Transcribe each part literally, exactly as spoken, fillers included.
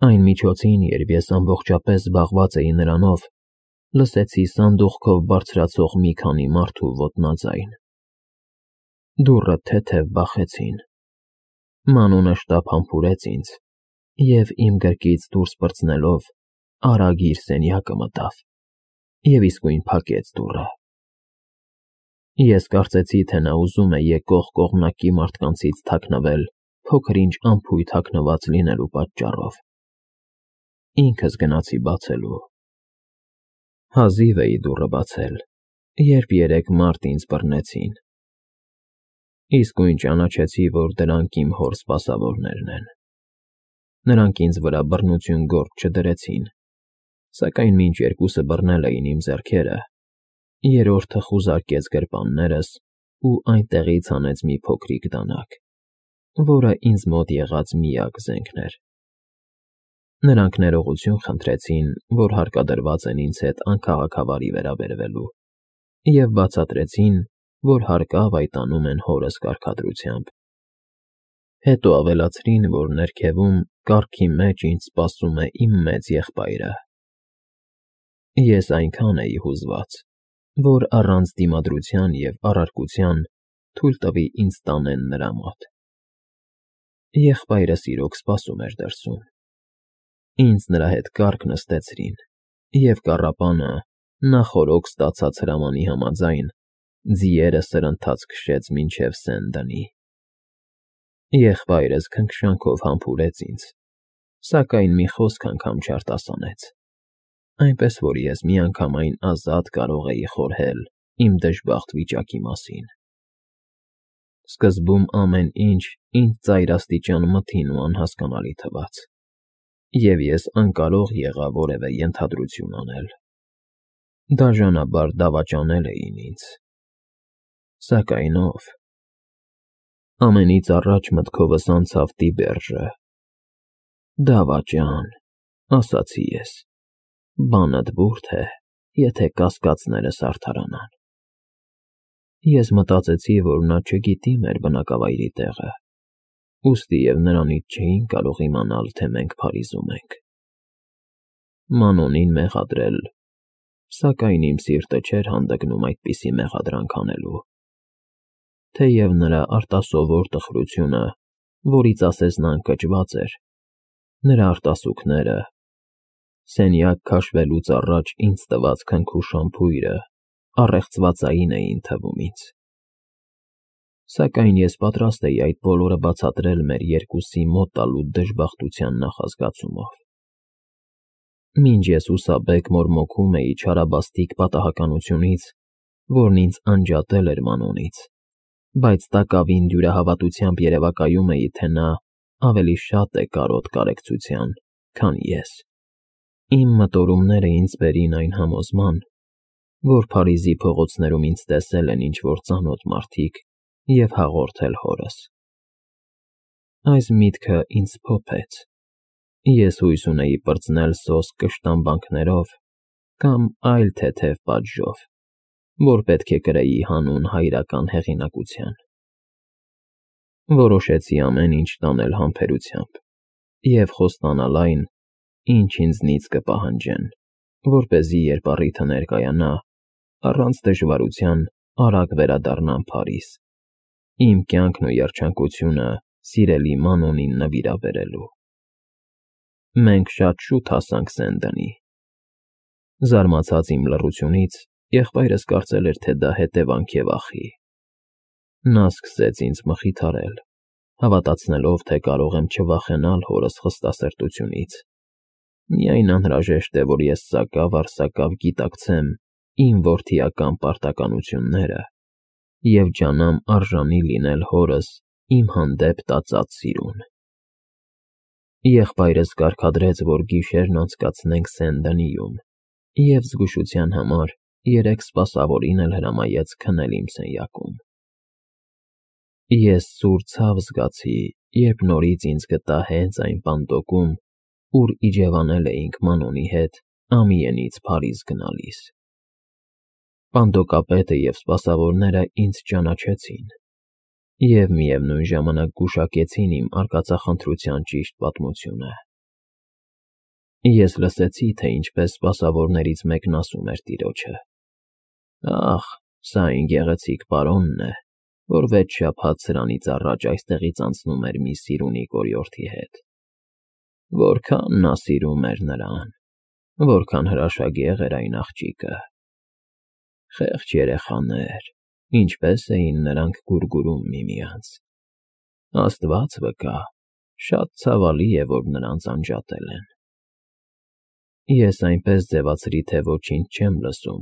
Այն միջոցին, երբ ես ամբողջապես զբաղված էի նրանով, լսեցի սանդուղքով բարձրացող մի քանի մարդու ոտնաձայն։ Դուռը թեթև բախեցին։ Մանունը շտապ համբուրեց ինձ և, իմ գրկից դուրս պրծնելով, արագ իր սենյակը մտավ և իսկույն փակեց դուռը։ Ես կարծեցի, թե նա ուզում է եկող կողմնակի մարդկանցից թաքնվել փոքր-ինչ անփույթ հագնված լինելու պատճառով։ Ինքս գնացի բացելու։ Հազիվ էի դուռը բացել, երբ երեք մարդ ինձ բռնեցին։ Իսկույն ճանաչեցի, որ դրանք իմ հոր սպասավորներն են։ Նրանք ինձ վրա բռնություն գործ չդրեցին, սակայն մինչ երկուսը բռնել էին իմ ձեռքերը, երրորդը խուզարկեց գրպաններս ու այնտեղից հանեց մի փոքրիկ դանակ, որը ինձ մոտ եղած միակ զենքն էր։ Նրանք ներողություն խնդրեցին, որ հարկադրված են ինձ հետ անքաղաքավարի վերաբերվելու, և բացատրեցին, որ հարկավ այդ անում են հորս կարգադրությամբ։ Հետո ավելացրին, որ ներքևում, կառքի մեջ ինձ սպասում է իմ մեծ եղբայրը։ Ես այնքան էի հուզված, որ առանց դիմադրության և առարկության թույլ տվի ինձ տանեն նրա մոտ։ Եղբայրս իրոք սպասում էր դրսում։ Ինձ նրա հետ կառք նստեցրին, և կառապանը, նախօրոք ստացած հրամանի համաձայն, ձիերը սրընթաց քշեց մինչև Սեն-Դենի։ Եղբայրս քնքշանքով համբուրեց ինձ, սակայն մի խոսք անգամ չարտասանեց, այնպես որ ես միանգամայն ազատ կարող էի խորհել իմ դժբախտ վիճակի մասին։ Սկզբում ամեն ինչ ինձ ծայրաստիճան մթին ու անհասկանալի թվաց, և ես անկարող եղա որևէ ենթադրություն անել։ Դաժանաբար դավաճանել էին ինձ։ Սակայն ո՞վ։ Ամենից առաջ մտքովս անցավ Տիբերջը։ Դավաճան, ասացի ես, բանդ բուրդ է, եթե կասկածներս արդարանան։ Ես մտածեցի, որ նա չգիտի մեր բնակավայրի տեղը, ուստի և նրանից չէին կարող իմանալ, թե մենք Փարիզում ենք։ Մանոնին մեղադրել, սակայն իմ սիրտը չէր հանդգնում այդպիսի մեղադրանք անելու, թեև նրա արտասովոր տխրությունը, որից ասես նա ընկճված էր, նրա արտասուքները, սենյակ քաշվելուց առաջ ինձ տված քնքուշ շամփուրը առեղծվածային էին թվում ինձ։ Սակայն ես պատրաստ էի այդ բոլորը բացատրել մեր երկուսի մոտ տալու դժբախտության նախազգացումով։ Մինչ ես հուսաբեկ մորմոքում էի չարաբաստիկ պատահականությունից, որն ինձ անջատել էր Մանոնից, բայց տակավին դյուրահավատությամբ երևակայում էի, թե նա ավելի շատ է կարոտ կարեկցության, քան ես։ Իմ մտորումները ինձ բերին այն համոզման, որ Փարիզի փողոցներում ինձ տեսել են ինչ-որ ծանոթ մարդիկ և հաղորդել հորս։ Այս միտքը ինձ փոփեց։ Ես հույս ունեի պրծնել սոսկ կշտամբանքներով կամ այլ թեթև պատժով, որ պետք է կրեի հանուն հայրական հեղինակության։ Որոշեցի ամեն ինչ տանել համբերությամբ և խոստանալ այն, ինչ ինձնից կպահանջեն, որպեսզի, երբ առիթը ներկայանա, առանց դժվարության արագ վերադառնամ Փարիզ, իմ կյանքն ու երջանկությունը սիրելի Մանոնին նվիրաբերելու։ Մենք շատ շուտ հասանք Սեն-Դենի։ Զարմացած իմ լռությունից, եղբայրս կարծել էր, թե դա հետևանք է վախի։ Նա սկսեց ինձ մխիթարել, հավատացնելով, թե կարող եմ չվախենալ հորս խստասրտությունից։ Միայն անհրաժեշտ է, որ ես սակավ֊առ-սակավ գիտակցեմ իմ որդիական պարտականությունները և ջանամ արժանի լինել հորս իմ հանդեպ տածած սիրուն։ Եղբայրս կարգադրեց, որ գիշերն անցկացնենք Սեն-Դենիում, և զգուշության համար երեք սպասավորին էլ հրամայեց քնել իմ սենյակում։ Ես սուր ցավ զգացի, երբ նորից ինձ գտա հենց այն պանդոկում, ուր իջևանել էինք Մանոնի հետ Ամիենից Փարիզ գնալիս։ Պանդոկապետը և սպասավորները ինձ ճանաչեցին և միևնույն ժամանակ գուշակեցին իմ արկածախնդրության ճիշտ պատմությունը։ Ես լսեցի, թե ինչպես սպասավորներից մեկն ասում էր տիրոջը. «Ախ, սա այն գեղեցիկ պարոնն է, որ վեց շաբաթ սրանից առաջ այստեղից անցնում էր մի սիրունի կորյորդի հետ. որքան նա սիրում էր նրան, որքան հրաշագեղ էր այն աղջիկը։ Խեղճ երեխաներ, ինչպես էին նրանք գուրգուրում միմյանց։ Աստված վկա, շատ ցավալի է, որ նրանց անջատել են»։ Ես այնպես ձևացրի, թե ոչինչ չեմ լսում,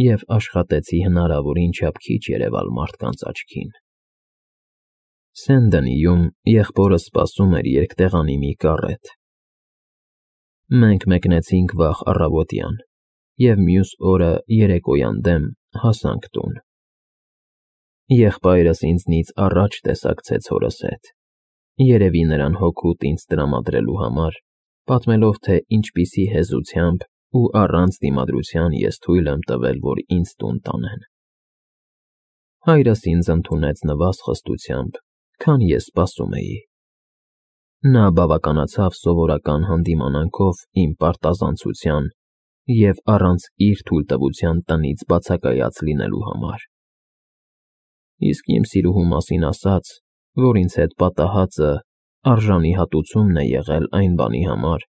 և աշխատեցի հնարավորին չափ քիչ երևալ մարդկանց աչքին։ Սեն-Դենիում եղբորս սպասում էր երկտեղանի մի կառետ։ Մենք մեկնեցինք վաղ առավոտյան և մյուս օրը երեկոյան դեմ հասանք տուն։ Եղբայրս ինձնից առաջ տեսակցեց հորս հետ, երևի նրան հօգուտ ինձ տրամադրելու համար, պատմելով, թե ինչպիսի հեզությամբ ու առանց դիմադրության ես թույլ եմ տվել, որ ինձ տուն տանեն։ Հայրս ինձ ընդունեց նվազ խստությամբ, քան ես սպասում էի։ Նա բավականացավ սովորական հանդիմանանքով իմ պարտազանցության և առանց իր թույլտվության տնից բացակայած լինելու համար։ Իսկ իմ սիրուհու մասին ասաց, որ ինձ հետ պատահածը արժանի հատուցումն է եղել այն բանի համար,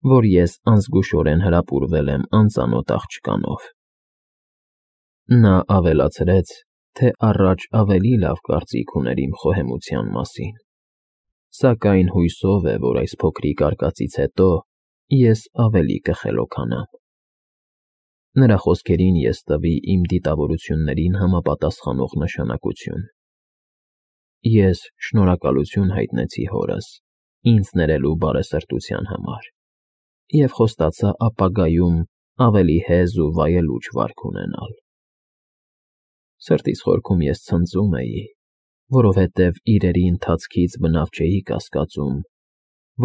որ ես անզգուշորեն հրապուրվել եմ անծանոթ աղջկանով։ Նա ավելացրեց, թե առաջ ավելի լավ կարծիք ուներ իմ խոհեմության մասին, սակայն հուսով է, որ այս փոքրիկ արկածից հետո ես ավելի կխելոքանամ։ Նրա խոսքերին ես տվի իմ դիտավորություններին համապատասխանող նշանակություն։ Ես շնորհակալություն հայտնեցի հորս ինձ ներելու բարեսրտության համար և խոստացա ապագայում ավելի հեզ ու վայելուչ վարք ունենալ։ Սրտիս խորքում ես ցնծում էի, որովհետև իրերի ընթացքից բնավ չէի կասկածում,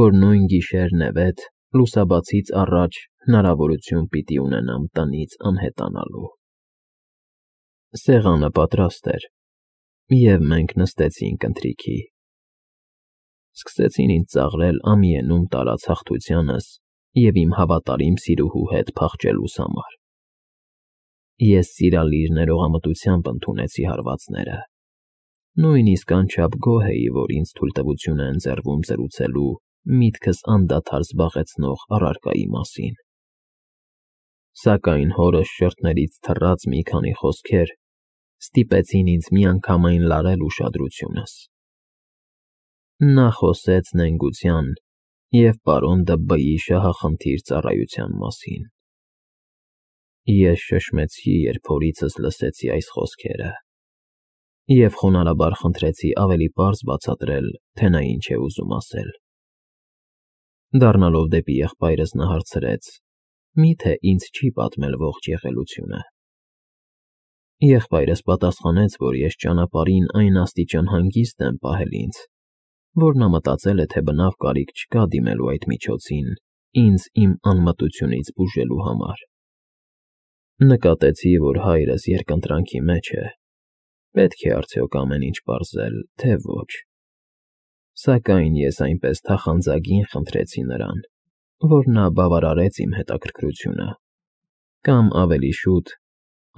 որ նույն գիշեր֊նևեթ լուսաբացից առաջ հնարավորություն պիտի ունենամ տնից անհետանալու։ Սեղանը պատրաստ էր, և մենք նստեցինք ընթրիքի։ Սկսեցին ինձ ծաղրել ամիենում տարած հաղթությանս և իմ հավատարիմ սիրուհու հետ փախչելուս համար։ Ես սիրալիր ներողամտությամբ ընդունեցի հարվածները, նույնիսկ անչափ գոհ էի, որ ինձ թույլտվություն է ընձեռվում զրուցելու միտքս անդադար զբաղեցնող առարկայի մասին։ Սակայն հորս շրթներից թռած մի քանի խոսքեր ստիպեցին ինձ միանգամայն լարել ուշադրությունս։ Նա խոսեց նենգության և պարոն Դըբբեի շահախնդիր ծառայության մասին։ Ես շշմեցի, երբ հորիցս լսեցի այս խոսքերը, և խոնարհաբար խնդրեցի ավելի պարզ բացատրել, թե նա ինչ է ուզում ասել։ Դառնալով դեպի եղբայրս նա հարցրեց. «Մի՞թե ինձ չի պատմել ողջ եղելությունը»։ Եղբայրս պատասխանեց, որ ես ճանապարհին այն աստիճան հանգիստ եմ պահել ինձ, որ նա մտածել է, թե բնավ կարիք չկա դիմելու այդ միջոցին ինձ իմ անմտությունից բուժելու համար։ Նկատեցի, որ հայրս երկընտրանքի մեջ է, պետք է արդյոք ամեն ինչ պարզել, թե ոչ։ Սակայն ես այնպես թախանձագին խնդրեցի նրան, որ նա բավարարեց իմ հետաքրքրությունը, կամ ավելի շուտ,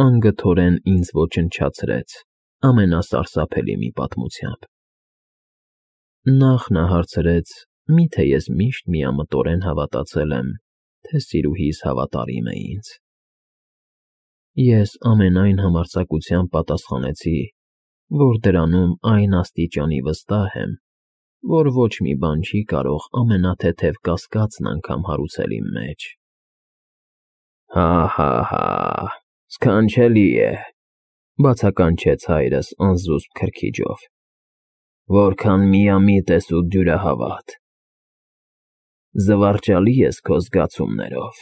անգթորեն ինձ ոչնչացրեց ամենասարսափելի մի պատմությամբ։ Նախ նա հարցրեց. «Մի՞թե ես միշտ միամտորեն հավատացել եմ, թե սիրուհիս հավատարիմ է ինձ»։ Ես ամենայն համարձակությամբ պատասխանեցի, որ դրանում այն աստիճանի վստահ եմ, որ ոչ մի բան չի կարող ամենաթեթև կասկածն անգամ հարուցել իմ մեջ։ «Հա՛֊հա՛֊հա՛, սքանչելի է», բացականչեց հայրս անզուսպ քրքիջով, «որքան միամիտ ես ու դյուրահավատ։ Զվարճալի ես քո զգացումներով։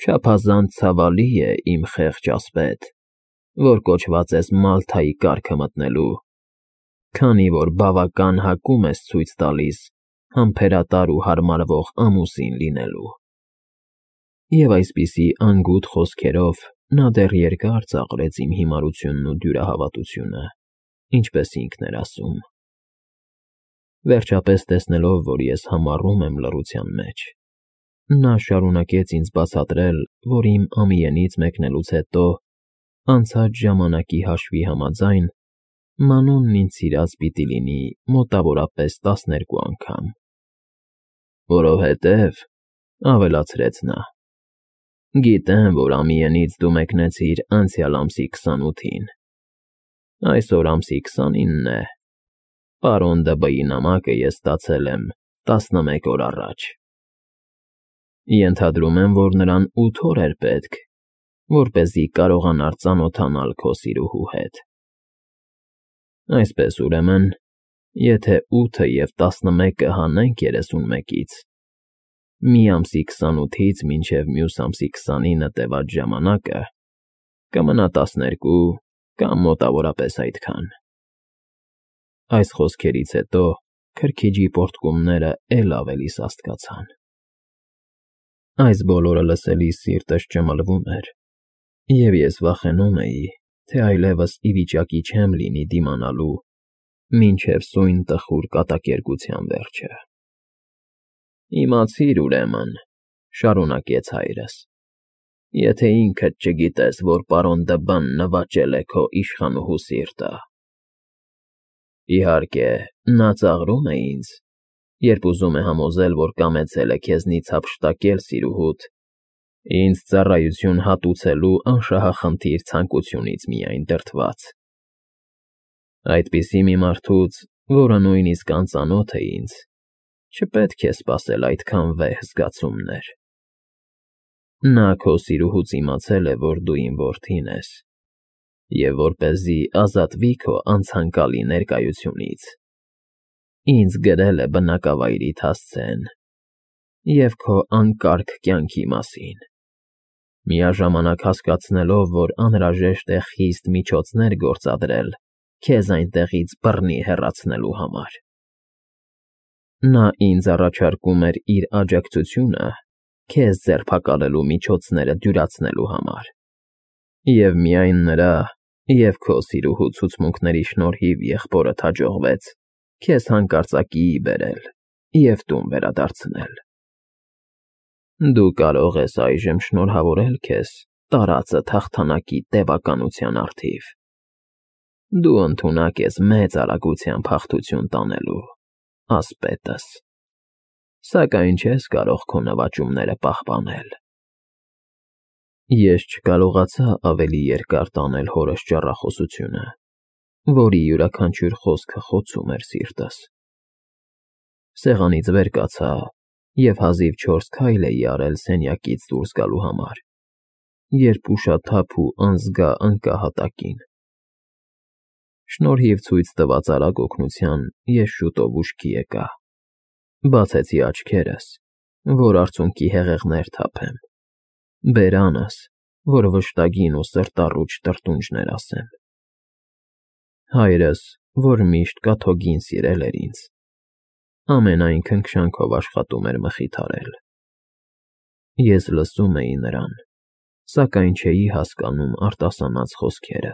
Չափազանց ցավալի է, իմ խեղճ ասպետ, որ կոչված ես Մալթայի կառքը մտնելու, քանի որ բավական հակում ես ցույց տալիս համբերատար ու հարմարվող ամուսին լինելու»։ Եվ այսպիսի անգութ խոսքերով նա դեռ երկար ծաղրեց իմ հիմարությունն ու դյուրահավատությունը, ինչպես ինքն էր ասում։ Վերջապես տեսնելով, որ ես համառում եմ լռության մեջ, Նա շարունակեց ինձ բացատրել, որ իմ ամիենից մեկնելուց հետո, անցած ժամանակի հաշվի համաձայն, մանունն ինձ սիրած պիտի լինի մոտավորապես տասներկու անգամ։ Որովհետև, ավելացրեց նա, գիտեմ, որ ամիենից դու մեկնեցիր անցյալ ամսի քսանութին, այսօր ամսի քսանինն է, պարոն Դըբըի նամակը ես ստացել եմ տասնմեկ օր առաջ։ Ենթադրում եմ, որ նրան ութ օր էր պետք, որպեսզի կարողանար ծանոթանալ քո սիրուհու հետ։ Այսպես ուրեմն, եթե ութը և տասնմեկը հանենք երեսունմեկից, մի ամսի քսանութից մինչև մյուս ամսի քսանինը տևած ժամանակը կմնա տասներկու կամ մոտավորապես այդքան։ Այս խոսքերից հետո քրքիջի պոռթկումները էլ ավելի սաստկացան։ Այս բոլորը լսելիս սիրտս ճմլվում էր, և ես վախենում էի, թե այլևս ի վիճակի չեմ լինի դիմանալու մինչև սույն տխուր կատակերգության վերջը։ Իմացիր, ուրեմն, շարունակեց հայրս, եթե ինքդ չգիտես, որ պարոն Դըբան նվաճել է քո իշխանուհու սիրտը։ Իհարկե, նա ծաղրում է ինձ, երբ ուզում է համոզել, որ կամեցել է քեզնից հափշտակել սիրուհուդ, ինձ ծառայություն հատուցելու անշահախնդիր ցանկությունից միայն դրդված։ Այդպիսի մի մարդուց, որը նույնիսկ անծանոթ է ինձ, չպետք է սպասել այդքան վեհ զգացումներ։ Նա քո սիրուհուց իմացել է, որ դու իմ որդին ես, և որպեսզի ազատվի քո անցանկալի ներկայությունից, ինձ գրել է բնակավայրիդ հասցեն և քո անկարգ կյանքի մասին, միաժամանակ հասկացնելով, որ անհրաժեշտ է խիստ միջոցներ գործադրել քեզ այնտեղից բռնի հեռացնելու համար։ Նա ինձ առաջարկում էր իր աջակցությունը քեզ ձերբակալելու միջոցները դյուրացնելու համար, և միայն նրա և քո սիրուհու ցուցմունքների շնորհիվ եղբորդ հաջողվեց քեզ հանկարծակիի բերել և տուն վերադարձնել։ Դու կարող ես այժմ շնորհավորել քեզ տարածդ հաղթանակի տևականության առթիվ։ Դու ընդունակ ես մեծ արագությամբ հաղթություն տանելու, ասպետս, սակայն չես կարող քո նվաճումները պահպանել։ Ես չկարողացա ավելի երկար տանել հորս ճառախոսությունը, որի յուրաքանչյուր խոսքը խոցում էր սիրտս։ Սեղանից վեր կացա և հազիվ չորս քայլ էի արել սենյակից դուրս գալու համար, երբ ուշաթափ ու անզգա ընկա հատակին։ Շնորհիվ ցույց տված արագ օգնության ես շուտով ուշքի եկա, բացեցի աչքերս, որ արցունքի հեղեղներ թափեմ, բերանս, որ վշտագին ու սրտառուչ տրտունջներ ասեմ։ Հայրս, որ միշտ կաթոկին սիրել էր ինձ, ամենայն քնքշանքով աշխատում էր մխիթարել։ Ես լսում էի նրան, սակայն չէի հասկանում արտասանած խոսքերը։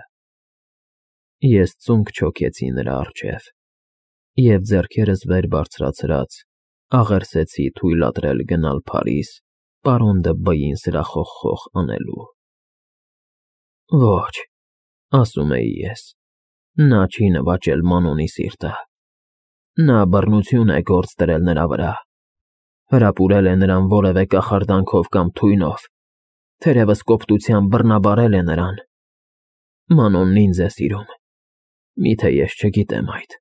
Ես ծունկ չոքեցի նրա առջև և ձեռքերս վեր բարձրացրած աղերսեցի թույլատրել գնալ Փարիզ պարոն Դըբըին սրախոխխող անելու։ Ոչ, ասում էի ես, նա չի նվաճել Մանոնի սիրտը, նա բռնություն է գործ դրել նրա վրա, հրապուրել է նրան որևէ կախարդանքով կամ թույնով, թերևս կոպտությամբ բռնաբարել է նրան։ Մանոնն ինձ է սիրում, միթե ես չգիտեմ այդ։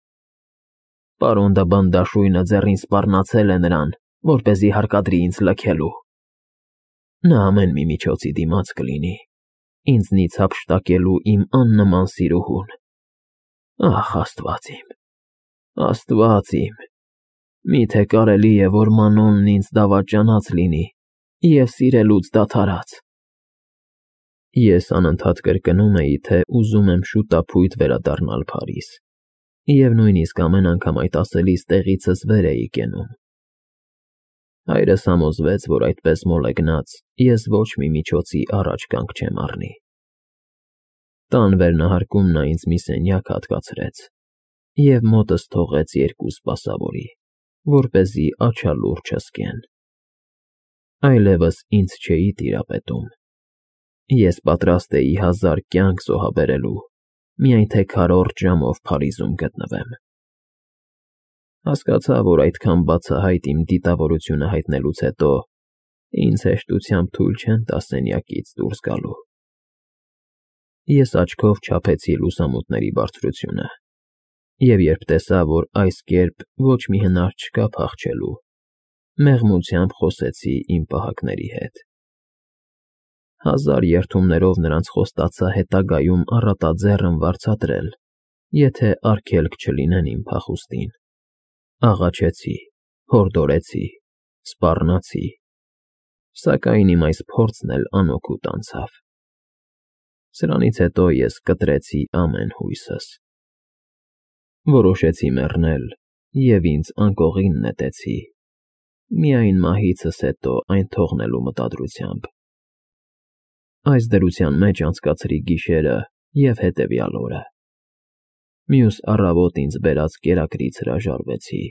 Պարոն Դըբան դաշույնը ձեռին սպառնացել է նրան, որպեսզի հարկադրի ինձ լքելու։ Նա ամեն մի միջոցի դիմաց կլինի ինձնից հափշտակելու իմ աննման սիրուհուն։ Ախ, Աստված իմ, Աստված իմ, միթե կարելի է, որ Մանոնն ինձ դավաճանած լինի և սիրելուց դադարած։ Ես անընդհատ կրկնում էի, թե ուզում եմ շուտափույթ վերադառնալ Փարիզ, և նույնիսկ ամեն անգամ այդ ասելիս տեղիցս վեր էի կենում։ Հայրս համոզվեց, որ այդպես մոլեգնած ես ոչ մի միջոցի առաջ կանգ չեմ առնի։ Տան վերնահարկում նա ինձ մի սենյակ հատկացրեց և մոտս թողեց երկու սպասավորի, որպեսզի աչալուր չզգեն։ Այլևս ինձ չէի տիրապետում։ Ես պատրաստ էի հազար կյանք զոհաբերելու, միայն թե քառորդ ժամով Փարիզում գտնվեմ։ Հասկացա, որ այդքան բացահայտ իմ դիտավորությունը հայտնելուց հետո ինձ հեշտությամբ թույլ չեն տա սենյակից դուրս գալու։ Ես աչքով չափեցի լուսամուտների բարձրությունը, և երբ տեսա, որ այս կերպ ոչ մի հնար չկա փախչելու, մեղմությամբ խոսեցի իմ պահակների հետ։ Հազար երդումներով նրանց խոստացա հետագայում առատաձեռն վարձատրել, եթե արգելք չլինեն իմ փախուստին։ Աղաչեցի, հորդորեցի, սպառնացի, սակայն իմ այս փորձն էլ անօգուտ անցավ։ Սրանից հետո ես կտրեցի ամեն հույսս։ Որոշեցի մեռնել և ինձ անկողին նետեցի, միայն մահիցս հետո այն թողնելու մտադրությամբ։ Այս դրության մեջ անցկացրի գիշերը և հետևյալ օրը։ Մյուս առավոտ ինձ բերած կերակրից հրաժարվեցի։